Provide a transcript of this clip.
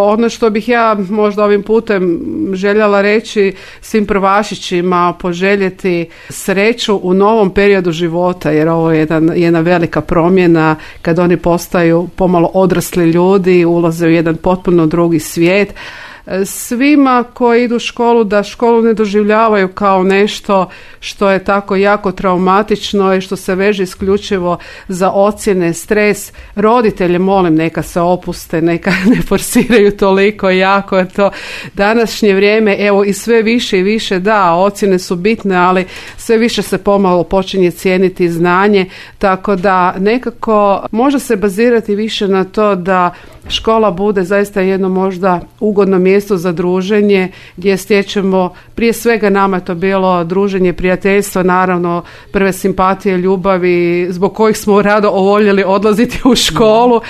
ono što bih ja možda ovim putem željela reći svim prvašićima, poželjeti sreću u novom periodu života, jer ovo je jedna velika promjena kad oni postaju pomalo odrasli ljudi, ulaze u jedan potpuno drugi svijet. Svima koji idu u školu, da školu ne doživljavaju kao nešto što je tako jako traumatično i što se veže isključivo za ocjene, stres. Roditelje molim neka se opuste, neka ne forsiraju toliko jako, jer to današnje vrijeme, evo i sve više i više, da, ocjene su bitne, ali sve više se pomalo počinje cijeniti znanje, tako da nekako može se bazirati više na to da škola bude zaista jedno možda ugodno mjesto za druženje, gdje stječemo, prije svega nama je to bilo druženje, prijateljstvo, naravno prve simpatije, ljubavi, zbog kojih smo rado voljeli odlaziti u školu.